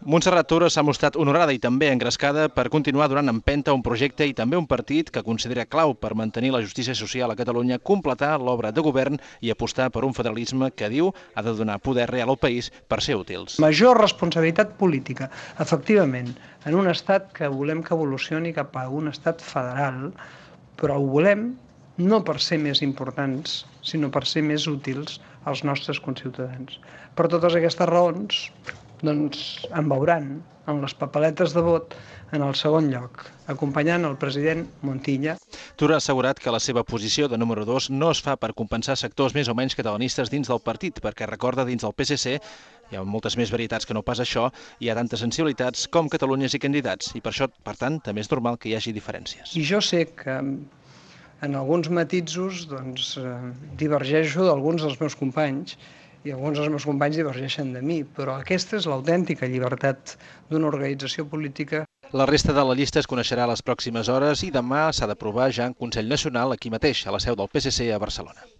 Montserrat Tura s'ha mostrat honorada i també engrescada per continuar donant empenta a un projecte i també un partit que considera clau per mantenir la justícia social a Catalunya, completar l'obra de govern i apostar per un federalisme que, diu, ha de donar poder real al país per ser útils. Major responsabilitat política, efectivament, en un estat que volem que evolucioni cap a un estat federal, però ho volem no per ser més importants, sinó per ser més útils als nostres conciutadans. Per totes aquestes raons, doncs em veuran en les papeletes de vot en el segon lloc, acompanyant el president Montilla. Tura ha assegurat que la seva posició de número 2 no es fa per compensar sectors més o menys catalanistes dins del partit, perquè recorda dins del PSC hi ha moltes més varietats que no pas això, hi ha tantes sensibilitats com Catalunyes i candidats, i per això, per tant, també és normal que hi hagi diferències. I jo sé que en alguns matisos divergeixo d'alguns dels meus companys, i alguns dels meus companys divergeixen de mi, però aquesta és l'autèntica llibertat d'una organització política. La resta de la llista es coneixerà a les pròximes hores i demà s'ha d'aprovar ja en Consell Nacional aquí mateix, a la seu del PSC a Barcelona.